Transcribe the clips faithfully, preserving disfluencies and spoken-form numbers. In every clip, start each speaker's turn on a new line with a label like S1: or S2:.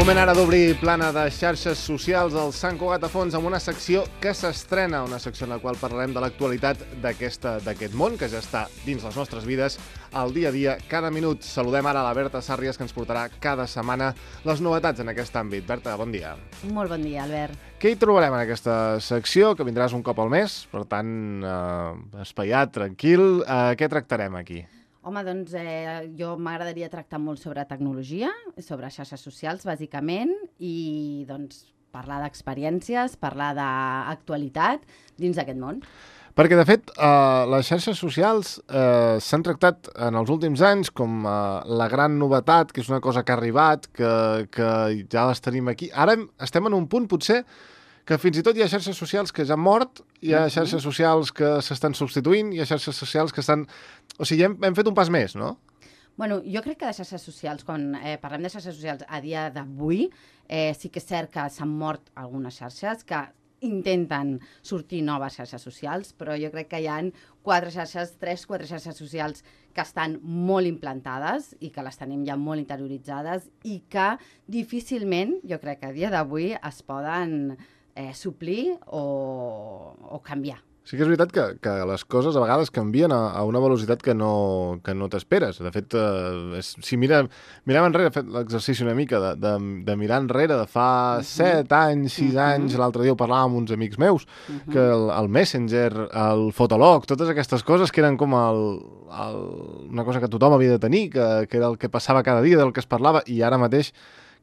S1: Moment ara d'obrir plana de xarxes socials al Sant Cugat a Fons amb una secció que s'estrena, una secció en la qual parlarem de l'actualitat d'aquest món que ja està dins les nostres vides al dia a dia, cada minut. Saludem ara a la Berta Sàrries, que ens portarà cada setmana les novetats en aquest àmbit. Berta, bon dia.
S2: Molt bon dia, Albert.
S1: Què hi trobarem en aquesta secció, que vindràs un cop al mes, per tant, eh, espaiat, tranquil. Eh, què tractarem aquí?
S2: Home, doncs eh, jo m'agradaria tractar molt sobre tecnologia, sobre xarxes socials, bàsicament, i doncs parlar d'experiències, parlar d'actualitat dins d'aquest món.
S1: Perquè, de fet, eh, les xarxes socials eh, s'han tractat en els últims anys com eh, la gran novetat, que és una cosa que ha arribat, que, que ja les tenim aquí. Ara estem en un punt, potser, que fins i tot hi ha xarxes socials que ja han mort, hi ha xarxes socials que s'estan substituint, hi ha xarxes socials que estan... O sigui, hem, hem fet un pas més, no?
S2: Bueno, jo crec que de xarxes socials, quan eh, parlem de xarxes socials a dia d'avui, eh, sí que és cert que s'han mort algunes xarxes, que intenten sortir noves xarxes socials, però jo crec que hi ha quatre xarxes, tres, quatre xarxes socials que estan molt implantades i que les tenim ja molt interioritzades i que difícilment, jo crec que a dia d'avui, es poden eh, suplir o, o canviar.
S1: Sí que és veritat que, que les coses a vegades canvien a, a una velocitat que no, que no t'esperes. De fet, eh, és, si mira, mirem enrere, he fet l'exercici una mica de, de, de mirar enrere de fa uh -huh. set anys, sis uh -huh. anys, l'altre dia ho parlàvem amb uns amics meus, uh -huh. que el, el Messenger, el Fotolog, totes aquestes coses que eren com el, el, una cosa que tothom havia de tenir, que, que era el que passava cada dia, del que es parlava, i ara mateix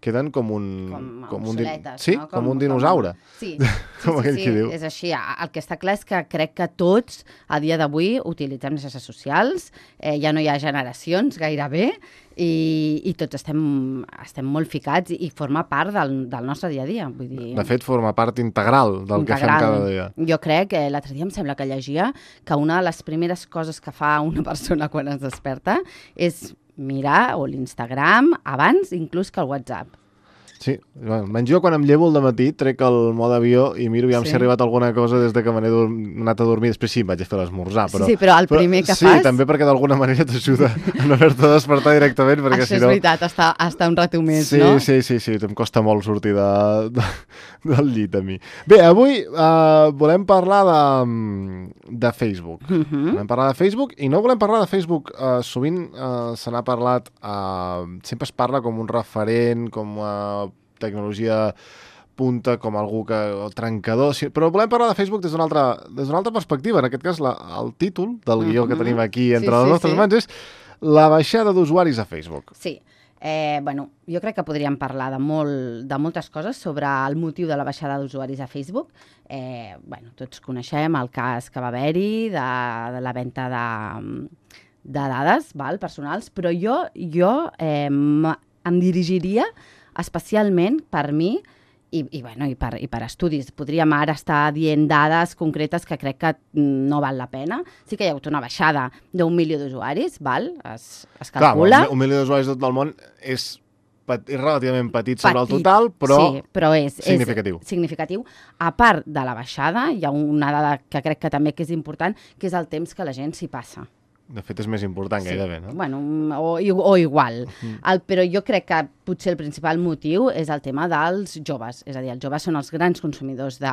S1: queden com un...
S2: Com,
S1: com
S2: obsoletes,
S1: un sí,
S2: no?
S1: Com, com un dinosaure.
S2: Com... Sí, sí,
S1: com
S2: sí,
S1: aquell
S2: sí,
S1: qui diu.
S2: És així. El que està clar és que crec que tots, a dia d'avui, utilitzem les xarxes socials, eh, ja no hi ha generacions gairebé, i, i tots estem, estem molt ficats i, i forma part del, del nostre dia a dia. Vull dir...
S1: De fet, forma part integral del integral. que fem cada dia.
S2: Jo crec, que l'altre dia em sembla que llegia, que una de les primeres coses que fa una persona quan es desperta és mirar o l'Instagram abans inclús que el WhatsApp.
S1: Sí, almenys jo quan em llevo al dematí trec el mode avió i miro aviam sí. si ha arribat alguna cosa des de que me n'he anat a dormir. Després sí, em vaig a fer l'esmorzar. Però,
S2: sí, sí, però el primer
S1: però,
S2: que
S1: sí,
S2: fas...
S1: Sí, també perquè d'alguna manera t'ajuda a no haver-te de despertar directament. Perquè,
S2: Això
S1: si
S2: és
S1: no...
S2: veritat, està, està un rato més,
S1: sí,
S2: no?
S1: Sí, sí, sí, em costa molt sortir de, de, del llit a mi. Bé, avui uh, volem parlar de, de Facebook. Uh -huh. Volem parlar de Facebook i no volem parlar de Facebook. Uh, sovint uh, se n'ha parlat, uh, sempre es parla com un referent, com a... Uh, tecnologia punta, com algú que... el trencador, sí, però volem parlar de Facebook des d'una altra, des d'una altra perspectiva. En aquest cas, la, el títol del guió uh -huh. que tenim aquí entre sí, les sí, nostres sí. mans és la baixada d'usuaris a Facebook.
S2: Sí. Eh, bueno, jo crec que podríem parlar de, molt, de moltes coses sobre el motiu de la baixada d'usuaris a Facebook. Eh, bueno, tots coneixem el cas que va haver-hi de, de la venda de, de dades val, personals, però jo, jo eh, em dirigiria especialment per mi i, i, bueno, i, per, i per estudis. Podríem ara estar dient dades concretes que crec que no val la pena. Sí que hi ha hagut una baixada d'un milió d'usuaris, val? Es, es calcula.
S1: Clar, un milió d'usuaris de tot el món és, és relativament petit sobre petit, el total, però,
S2: sí, però és
S1: significatiu.
S2: És significatiu. A part de la baixada, hi ha una dada que crec que també que és important, que és el temps que la gent s'hi passa.
S1: De fet, és més important
S2: sí.
S1: gairebé, no?
S2: Bueno, o, o igual. Uh-huh. el, però jo crec que potser el principal motiu és el tema dels joves. És a dir, els joves són els grans consumidors de,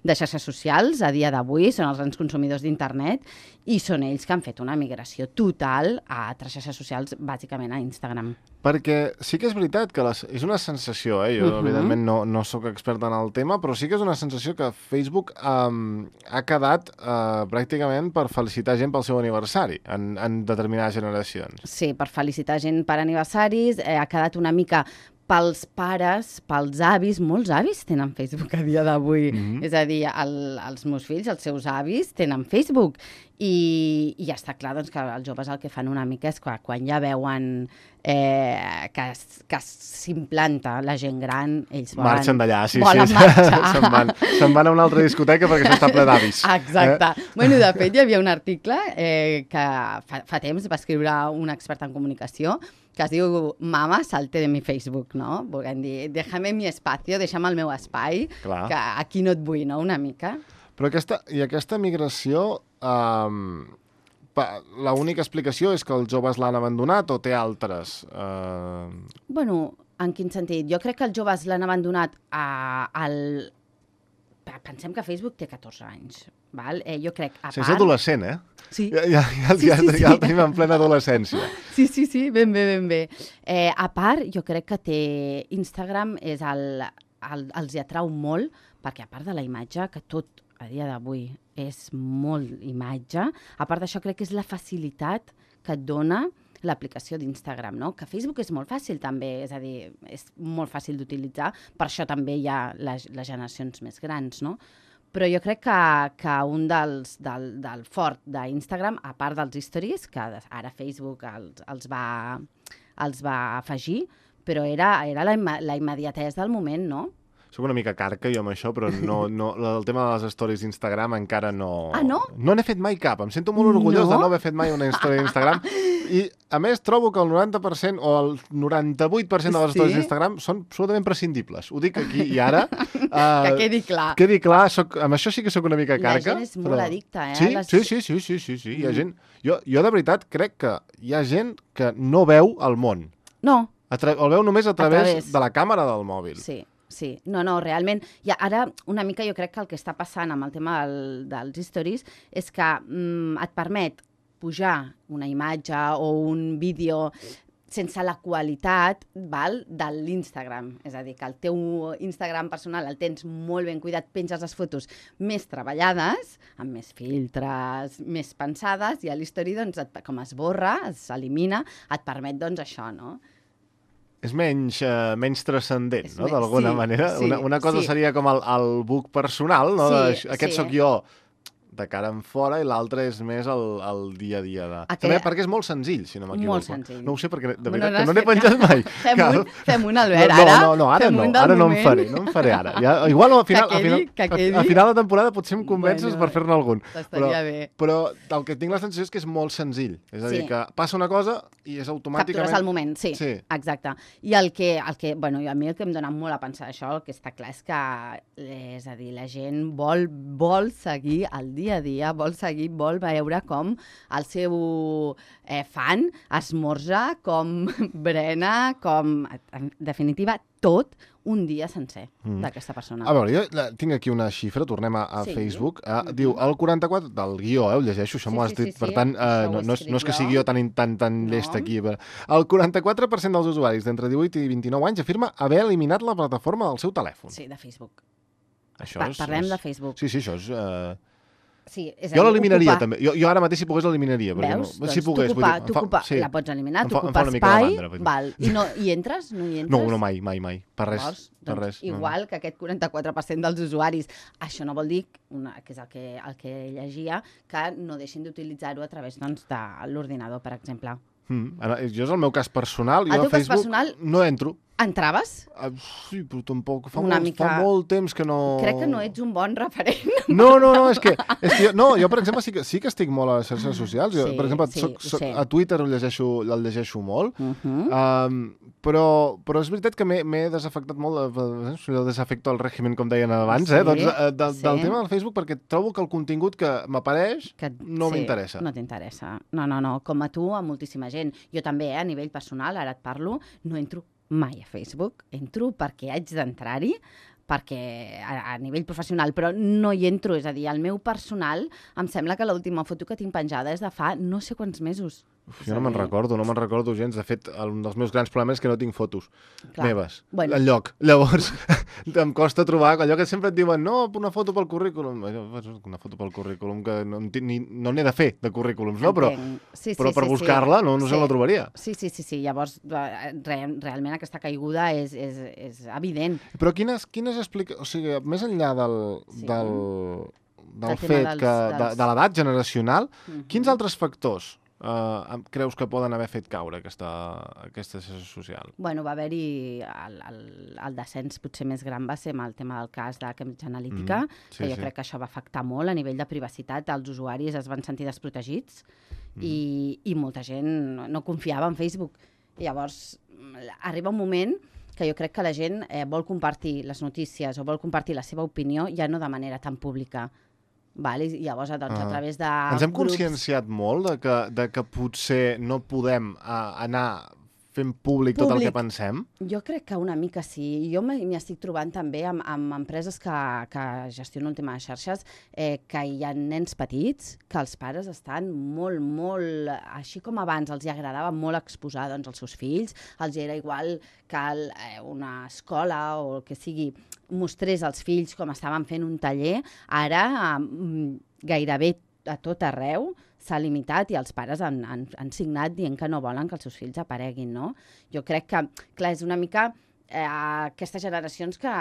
S2: de xarxes socials a dia d'avui, són els grans consumidors d'internet i són ells que han fet una migració total a altres xarxes socials, bàsicament a Instagram.
S1: Perquè sí que és veritat que les, és una sensació, eh? jo uh-huh. evidentment no, no sóc expert en el tema, però sí que és una sensació que Facebook um, ha quedat uh, pràcticament per felicitar gent pel seu aniversari en, en determinades generacions.
S2: Sí, per felicitar gent per aniversaris, eh, ha quedat una mica pels pares, pels avis, molts avis tenen Facebook a dia d'avui. Mm-hmm. És a dir, el, els meus fills, els seus avis, tenen Facebook. I, i ja està clar doncs, que els joves el que fan una mica és que quan ja veuen eh, que, que s'implanta la gent gran, ells volen...
S1: Marxen d'allà, sí,
S2: volen
S1: sí.
S2: marxar.
S1: se'n, van, se'n van a una altra discoteca perquè això està ple d'avis.
S2: Exacte. Eh? Bueno, de fet, hi havia un article eh, que fa, fa temps va escriure un expert en comunicació que es diu Mama, salte de mi Facebook, no? Volguem dir, déjame mi espacio, deixa'm el meu espai, clar, que aquí no et vull, no?, una mica.
S1: Però aquesta, i aquesta migració, um, l'única explicació és que els joves l'han abandonat o té altres? Uh...
S2: Bueno, En quin sentit? Jo crec que els joves l'han abandonat a, al... Pensem que Facebook té catorze anys, val? Eh, jo crec, a
S1: sí,
S2: part...
S1: És adolescent, eh?
S2: Sí.
S1: Ja, ja, ja,
S2: sí,
S1: ja,
S2: sí,
S1: ja,
S2: sí.
S1: ja el tenim en plena adolescència.
S2: Sí, sí, sí, ben bé, ben bé. Eh, a part, jo crec que té Instagram és el, el, els hi atrau molt, perquè a part de la imatge, que tot a dia d'avui és molt imatge, a part d'això crec que és la facilitat que et dona l'aplicació d'Instagram, no? Que Facebook és molt fàcil també, és a dir, és molt fàcil d'utilitzar, per això també hi ha les, les generacions més grans, no? Però jo crec que, que un dels, del, del fort d'Instagram, a part dels stories, que ara Facebook els, els, va, els va afegir, però era, era la, la immediatesa del moment, no?
S1: Soc una mica carca jo amb això, però no, no, el tema de les stories d'Instagram encara no...
S2: Ah, no?
S1: No n'he fet mai cap. Em sento molt orgullós no? de no haver fet mai una història d'Instagram. I, a més, trobo que el noranta per cent o el noranta-vuit per cent de les
S2: sí?
S1: stories d'Instagram són absolutament prescindibles. Ho dic aquí i ara. Uh,
S2: que quedi clar.
S1: Quedi clar, soc, amb això sí que sóc una mica carca.
S2: La gent és molt però... addicta, eh?
S1: Sí,
S2: les...
S1: sí, sí, sí, sí, sí, sí. Mm. Hi ha gent... Jo, jo de veritat crec que hi ha gent que no veu el món.
S2: No.
S1: Tra... El veu només a través,
S2: a través
S1: de la càmera del mòbil.
S2: Sí. Sí, no, no, realment, ja ara una mica jo crec que el que està passant amb el tema del, dels stories és que mm, et permet pujar una imatge o un vídeo sense la qualitat, val, de l'Instagram. És a dir, que el teu Instagram personal el tens molt ben cuidat, penges les fotos més treballades, amb més filtres, més pensades, i a l'history, doncs, et, com es borra, s'elimina, et permet, doncs, això, no?
S1: És menys, uh, menys transcendent,
S2: és
S1: no?,
S2: men...
S1: d'alguna
S2: sí,
S1: manera.
S2: Sí,
S1: una, una cosa
S2: sí.
S1: seria com el, el book personal, no?
S2: Sí,
S1: de, aquest
S2: sí.
S1: sóc jo de cara en fora, i l'altre és més el, el dia a dia. De...
S2: Aquell...
S1: També perquè és molt senzill, si no m'equivoco.
S2: Molt senzill.
S1: No ho sé, perquè de
S2: bueno,
S1: veritat
S2: no
S1: que no n'he penjat mai.
S2: Fem
S1: Cal...
S2: un, fem un, Albert,
S1: no,
S2: ara.
S1: No, no, ara no, ara no en faré, no en faré ara. Ja, igual al final,
S2: que quedi,
S1: al, final,
S2: que quedi.
S1: al final de temporada potser em convences
S2: bueno,
S1: per fer-ne algun.
S2: Estaria
S1: però,
S2: bé.
S1: Però el que tinc la sensació és que és molt senzill. És a dir,
S2: sí.
S1: que passa una cosa i és automàticament...
S2: Captures al moment, sí,
S1: sí.
S2: Exacte. I el que, el que, bueno, a mi el que em dona molt a pensar això, el que està clar és que, és a dir, la gent vol, vol seguir el dia a dia, vol seguir, vol veure com el seu eh, fan esmorza, com brena, com, en definitiva, tot un dia sencer mm. d'aquesta persona.
S1: A veure, jo la, tinc aquí una xifra, tornem a, a sí. Facebook. Eh, mm-hmm. Diu, el quaranta-quatre del guió, eh, ho llegeixo, això
S2: sí,
S1: m'ho has
S2: sí,
S1: dit,
S2: sí,
S1: per
S2: sí.
S1: tant, eh, no, no, és, no és que sigui jo tan, tan, tan no. llest aquí. Però el quaranta-quatre per cent dels usuaris d'entre divuit i vint-i-nou anys afirma haver eliminat la plataforma del seu telèfon.
S2: Sí, de Facebook.
S1: Això
S2: pa
S1: és,
S2: parlem
S1: és...
S2: de Facebook.
S1: Sí, sí, això és... Eh...
S2: Sí, és
S1: jo l'eliminaria,
S2: ocupar...
S1: també. Jo, jo ara mateix, si pogués, l'eliminaria.
S2: Veus?
S1: No,
S2: doncs
S1: si pogués,
S2: t'ocupa,
S1: vull dir,
S2: t'ocupa,
S1: fa... sí.
S2: la pots eliminar,
S1: Em fa,
S2: t'ocupa
S1: em fa
S2: espai,
S1: mandra,
S2: val. I no, hi entres? No hi entres?
S1: No, no, mai, mai, mai. Per res.
S2: Llavors,
S1: per
S2: doncs,
S1: res.
S2: Igual
S1: no.
S2: que aquest quaranta-quatre per cent dels usuaris. Això no vol dir, una, que és el que, el que llegia, que no deixin d'utilitzar-ho a través doncs, de l'ordinador, per exemple.
S1: Mm. Jo és el meu cas personal.
S2: El
S1: jo
S2: teu
S1: a Facebook
S2: cas personal...
S1: no entro.
S2: Entraves?
S1: Uh, sí, però tampoc. Fa,
S2: Una
S1: molt,
S2: mica...
S1: fa molt temps que no...
S2: Crec que no ets un bon referent.
S1: No, no, no, és que, és que jo, no, jo, per exemple, sí que, sí que estic molt a les xarxes socials. Jo,
S2: sí,
S1: per exemple,
S2: sí,
S1: soc, soc,
S2: sí.
S1: a Twitter el llegeixo, el llegeixo molt,
S2: Uh -huh.
S1: um, però, però és veritat que m'he desafectat molt, el desafecto al règim, com deien abans,
S2: sí,
S1: eh, doncs, de, de,
S2: sí.
S1: del tema del Facebook, perquè trobo que el contingut que m'apareix no
S2: sí,
S1: m'interessa.
S2: No t'interessa. No, no, no. Com a tu, a moltíssima gent. Jo també, eh, a nivell personal, ara et parlo, no entro mai a Facebook. Entro perquè haig d'entrar-hi, perquè a, a nivell professional, però no hi entro. És a dir, el meu personal, em sembla que l'última foto que tinc penjada és de fa no sé quants mesos.
S1: Uf, jo no me'n recordo, no me'n recordo gens. De fet, un dels meus grans problemes és que no tinc fotos Clar. meves, bueno. enlloc. Llavors, em costa trobar allò que sempre et diuen, no, una foto pel currículum. Una foto pel currículum que no n'he no de fer, de currículums, no? Però,
S2: sí, sí,
S1: però per
S2: sí,
S1: buscar-la
S2: sí.
S1: no, no
S2: sí.
S1: se la trobaria.
S2: Sí, sí, sí, sí. Llavors, re, realment aquesta caiguda és, és, és evident.
S1: Però quines, quines explica... O sigui, més enllà del...
S2: Sí.
S1: del del
S2: el
S1: fet
S2: dels,
S1: que, dels... de, de l'edat generacional,
S2: uh-huh.
S1: quins altres factors Uh, creus que poden haver fet caure aquesta, aquesta xarxa social?
S2: Bueno, va haver-hi el, el, el descens potser més gran va ser amb el tema del cas de Cambridge Analytica, mm, sí, que jo sí. crec que això va afectar molt a nivell de privacitat, els usuaris es van sentir desprotegits mm. i, i molta gent no, no confiava en Facebook. I llavors arriba un moment que jo crec que la gent eh, vol compartir les notícies o vol compartir la seva opinió ja no de manera tan pública. Vale? I llavors, doncs, ah. a través de
S1: Ens hem
S2: grups...
S1: conscienciat molt de que, de que potser no podem uh, anar fent públic, públic tot el que pensem?
S2: Jo crec que una mica sí. Jo m'hi estic trobant també amb, amb empreses que, que gestionen el tema de xarxes, eh, que hi ha nens petits, que els pares estan molt, molt, així com abans els hi agradava molt exposar doncs, els seus fills, els era igual que el, eh, una escola o el que sigui mostrés als fills com estaven fent un taller, ara eh, gairebé a tot arreu s'ha limitat i els pares han, han, han signat dient que no volen que els seus fills apareguin, no? Jo crec que, clar, és una mica eh, aquestes generacions que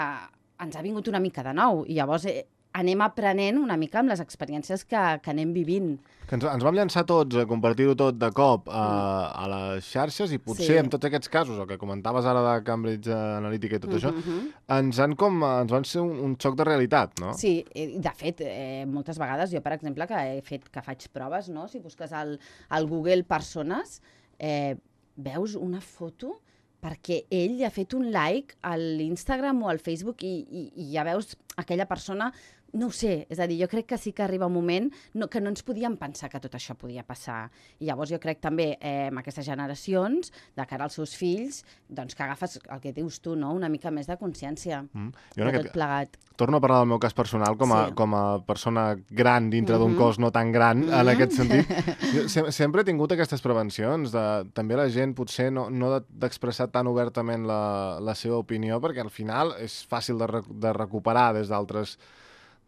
S2: ens ha vingut una mica de nou i llavors eh, anem aprenent una mica amb les experiències que, que anem vivint.
S1: Que ens, ens vam llançar tots a compartir-ho tot de cop a, a les xarxes i potser sí. en tots aquests casos, el que comentaves ara de Cambridge Analytica i tot uh-huh. això, ens, han com, ens van ser un, un xoc de realitat, no?
S2: Sí, de fet, eh, moltes vegades jo, per exemple, que he fet que faig proves, no? Si busques al, al Google persones, eh, veus una foto perquè ell ha fet un like a l'Instagram o al Facebook i, i, i ja veus aquella persona. No ho sé, és a dir, jo crec que sí que arriba un moment no, que no ens podíem pensar que tot això podia passar. I llavors jo crec també eh, amb aquestes generacions, de cara als seus fills, doncs que agafes el que dius tu, no? Una mica més de consciència mm. de tot plegat.
S1: Torno a parlar del meu cas personal com a, sí. com a persona gran dintre mm-hmm. d'un cos no tan gran, mm-hmm. en aquest sentit. Jo se sempre he tingut aquestes prevencions, de, també la gent potser no, no d'expressar tan obertament la, la seva opinió, perquè al final és fàcil de, re, de recuperar des d'altres.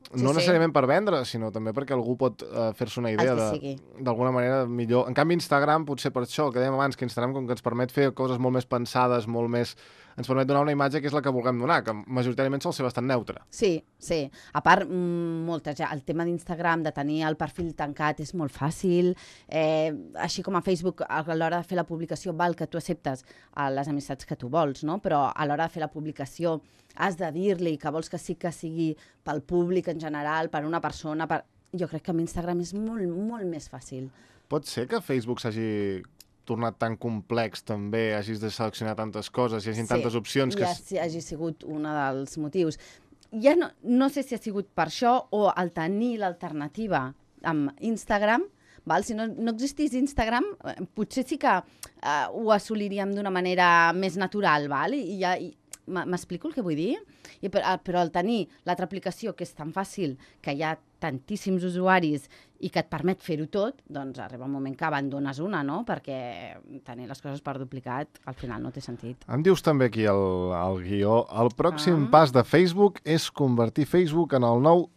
S1: Sí, no necessàriament sí. per vendre, sinó també perquè algú pot uh, fer-se una idea d'alguna manera millor. En canvi, Instagram, potser per això, que dèiem abans, que Instagram com que ens permet fer coses molt més pensades, molt més... ens permet donar una imatge que és la que vulguem donar, que majoritàriament sol ser bastant neutra.
S2: Sí, sí. A part, moltes, el tema d'Instagram, de tenir el perfil tancat, és molt fàcil. Eh, així com a Facebook, a l'hora de fer la publicació, val que tu acceptes a les amistats que tu vols, no? Però a l'hora de fer la publicació has de dir-li que vols que sí que sigui pel públic en general, per una persona... Per... Jo crec que amb Instagram és molt, molt més fàcil.
S1: Pot ser que Facebook s'hagi tornat tan complex també, hagis de seleccionar tantes coses, hi hagi sí, tantes opcions...
S2: Sí, que... ja hagi sigut un dels motius. Ja no, no sé si ha sigut per això o el tenir l'alternativa amb Instagram, val? Si no, no existís Instagram, potser sí que uh, ho assoliríem d'una manera més natural, val? I ja... I... M'explico el que vull dir? I per, però al tenir l'altra aplicació, que és tan fàcil, que hi ha tantíssims usuaris i que et permet fer-ho tot, doncs arriba un moment que abandones una, no? Perquè tenir les coses per duplicat al final no té sentit.
S1: Em dius també aquí el, el guió, el pròxim ah. pas de Facebook és convertir Facebook en el nou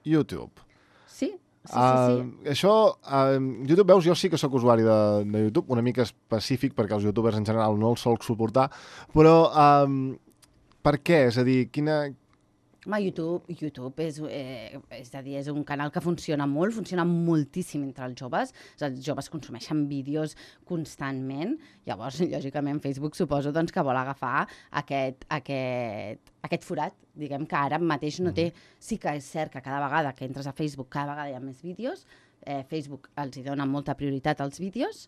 S1: YouTube.
S2: Sí, sí, sí.
S1: Uh,
S2: sí.
S1: Això, uh, YouTube, veus, jo sí que sóc usuari de, de YouTube, una mica específic, perquè els youtubers en general no els solc suportar, però... Uh, per què? És a dir, quina...
S2: Home, YouTube, YouTube és, eh, és a dir, és un canal que funciona molt, funciona moltíssim entre els joves. Els joves consumeixen vídeos constantment. Llavors, lògicament, Facebook suposo doncs, que vol agafar aquest, aquest, aquest forat, diguem que ara mateix no té... Sí que és cert que cada vegada que entres a Facebook, cada vegada hi ha més vídeos. Eh, Facebook els hi dona molta prioritat als vídeos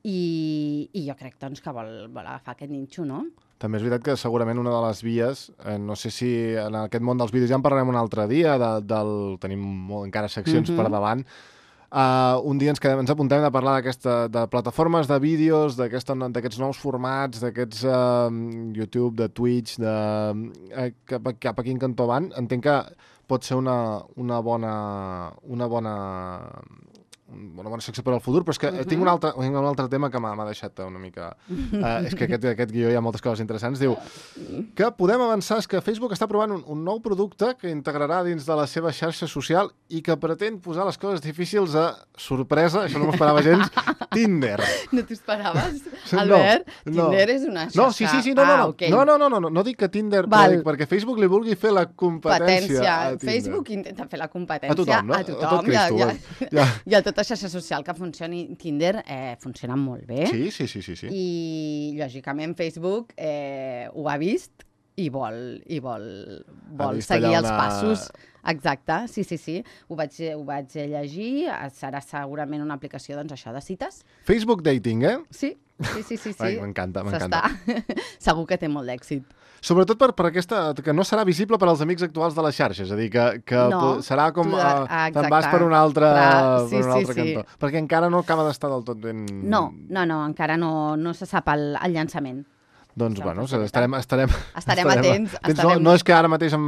S2: i, i jo crec doncs, que vol, vol agafar aquest ninxo, no?
S1: També és veritat que segurament una de les vies, eh, no sé si en aquest món dels vídeos ja en parlarem un altre dia, de, del, tenim molt, encara seccions mm-hmm. per davant, uh, un dia ens, quedem, ens apuntem a parlar de plataformes de vídeos, d'aquests nous formats, d'aquests uh, YouTube, de Twitch, de, uh, cap, cap a quin cantó van. Entenc que pot ser una, una bona... Una bona una bona secció per al futur, però és que uh-huh. tinc un altre, un altre tema que m'ha deixat una mica... Uh, és que aquest, aquest guió hi ha moltes coses interessants. Diu que podem avançar, és que Facebook està provant un, un nou producte que integrarà dins de la seva xarxa social i que pretén posar les coses difícils a sorpresa, això no m'ho esperava gens, Tinder.
S2: No t'ho esperaves, Albert? No, Tinder no. és una xarxa.
S1: No, sí, sí, sí, no, no, no. Ah, okay. no, no, no, no, no, no dic que Tinder,
S2: Val.
S1: perquè Facebook li vulgui fer la competència a Tinder.
S2: Facebook intenta fer la competència
S1: a tothom, no?
S2: A tothom,
S1: a tot Cristo,
S2: ja, ja, ja. I a tota xarxa social que funcioni Tinder eh, funciona molt bé.
S1: Sí, sí, sí, sí, sí.
S2: I, lògicament, Facebook eh, ho ha vist i vol, i vol, vol seguir una... els passos. Exacte, sí, sí, sí. Ho vaig, ho vaig llegir. Serà segurament una aplicació, doncs, això, de cites.
S1: Facebook Dating, eh?
S2: Sí, sí, sí, sí. sí.
S1: Ai, m'encanta, m'encanta.
S2: Segur que té molt d'èxit.
S1: Sobretot per, per aquesta... que no serà visible per als amics actuals de la xarxa, és a dir, que, que
S2: no,
S1: serà com...
S2: tu,
S1: Uh,
S2: exacte.
S1: Te'n vas per un altre,
S2: Clar, sí,
S1: per un altre
S2: sí,
S1: cantó.
S2: sí.
S1: Perquè encara no acaba d'estar del tot ben...
S2: No, no, no, encara no, no se sap el, el llançament.
S1: Doncs, bueno, estarem... Estarem,
S2: estarem atents.
S1: atents.
S2: Estarem...
S1: No, no és que ara mateix em,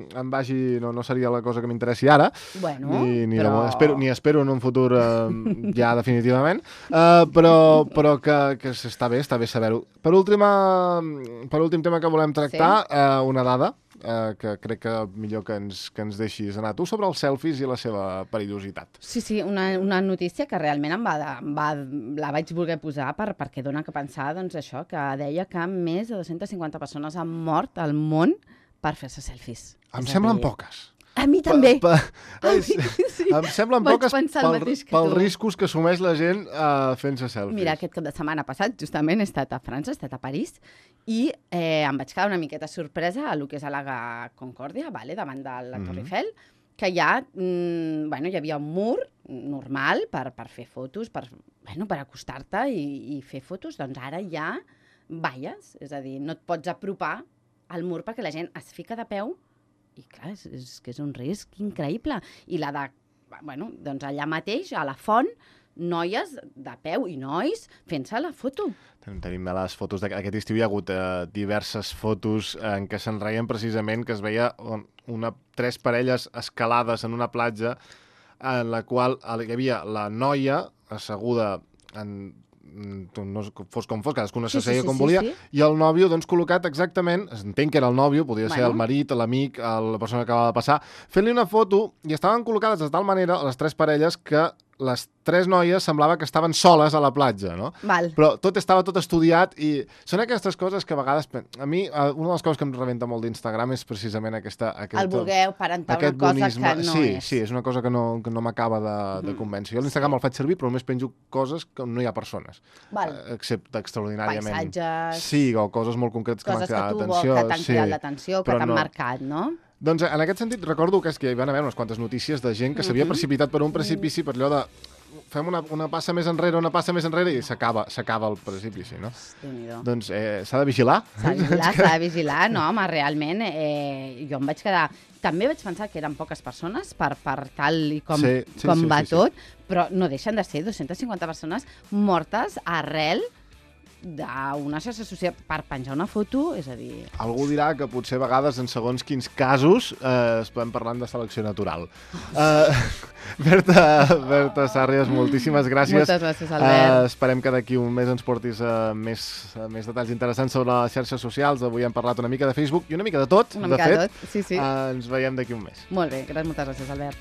S1: em vagi... No, no seria la cosa que m'interessi ara.
S2: Bueno,
S1: ni, ni,
S2: però...
S1: de, espero, ni espero en un futur eh, ja definitivament. Uh, però però que, que està bé, està bé saber-ho. Per, última, per últim tema que volem tractar, sí. uh, una dada uh, que crec que millor que ens, que ens deixis anar tu, sobre els selfies i la seva perillositat.
S2: Sí, sí, una, una notícia que realment em va, em va, la vaig voler posar per, perquè dona que pensar, doncs això, que deia que més de dues-centes cinquanta persones han mort al món per fer-se selfies.
S1: Em semblen poques.
S2: A mi també.
S1: Pa, pa, mi, sí. Em semblen
S2: Vaig
S1: poques pel, pels riscos que assumeix la gent uh, fent-se selfies.
S2: Mira, aquest cap de setmana passat, justament, he estat a França, he estat a París, i eh, em vaig quedar una miqueta sorpresa a lo que és a la Concòrdia, vale, davant de la Torre Eiffel, que ja, mm, bueno, hi havia un mur normal per, per fer fotos, per, bueno, per acostar-te i, i fer fotos, doncs ara hi ha valles, és a dir, no et pots apropar al mur perquè la gent es fica de peu. I clar, és, és que és un risc increïble. I la de, bueno, doncs allà mateix, a la font, noies de peu i nois fent-se la foto.
S1: Tenim les fotos d'aquest estiu, hi ha hagut eh, diverses fotos en què se'n reien precisament, que es veia una, tres parelles escalades en una platja en la qual hi havia la noia asseguda en... no fos com fos, cadascú no
S2: sí,
S1: s'asseia
S2: sí, sí,
S1: com
S2: sí,
S1: volia,
S2: sí.
S1: i el nòvio doncs col·locat exactament, entenc que era el nòvio, podria
S2: bueno.
S1: ser el marit, l'amic, la persona que acaba de passar, fent-li una foto, i estaven col·locades de tal manera les tres parelles que les tres noies semblava que estaven soles a la platja, no?
S2: Val.
S1: Però tot estava tot estudiat i són aquestes coses que a vegades... A mi, una de les coses que em rebenta molt d'Instagram és precisament aquesta... Aquest,
S2: el voler aparentar una cosa bonisme. Que no
S1: sí,
S2: és.
S1: Sí, és una cosa que no, que no m'acaba de, de convèncer. Jo a l'Instagram sí. el faig servir, però només penjo coses que no hi ha persones.
S2: Val.
S1: Excepte extraordinàriament.
S2: Paisatges...
S1: Sí, o coses molt concretes que m'han cridat l'atenció.
S2: Coses que t'han cridat sí. l'atenció, que t'han no. marcat, no?
S1: Doncs en aquest sentit recordo que, és que hi van haver unes quantes notícies de gent que s'havia mm -hmm. precipitat per un precipici per allò de fem una, una passa més enrere, una passa més enrere i s'acaba s'acaba el precipici, no? Doncs eh, s'ha de vigilar.
S2: S'ha de vigilar, s'ha de vigilar, no, home, realment, eh, jo em vaig quedar... També vaig pensar que eren poques persones per, per tal i com,
S1: sí, sí,
S2: com
S1: sí,
S2: va
S1: sí,
S2: tot,
S1: sí.
S2: però no deixen de ser dues-centes cinquanta persones mortes arrel d'una xarxa social per penjar una foto, és a dir...
S1: Algú dirà que potser a vegades en segons quins casos eh, es podem parlar de selecció natural. Uh, Berta, Berta Sàrries, moltíssimes gràcies.
S2: Moltes gràcies, Albert.
S1: Uh, esperem que d'aquí un mes ens portis uh, més, uh, més detalls interessants sobre les xarxes socials. Avui hem parlat una mica de Facebook i una mica de tot,
S2: una
S1: de
S2: mica
S1: fet.
S2: de tot, sí, sí.
S1: Uh, ens veiem d'aquí un mes.
S2: Molt bé, moltes gràcies, Albert.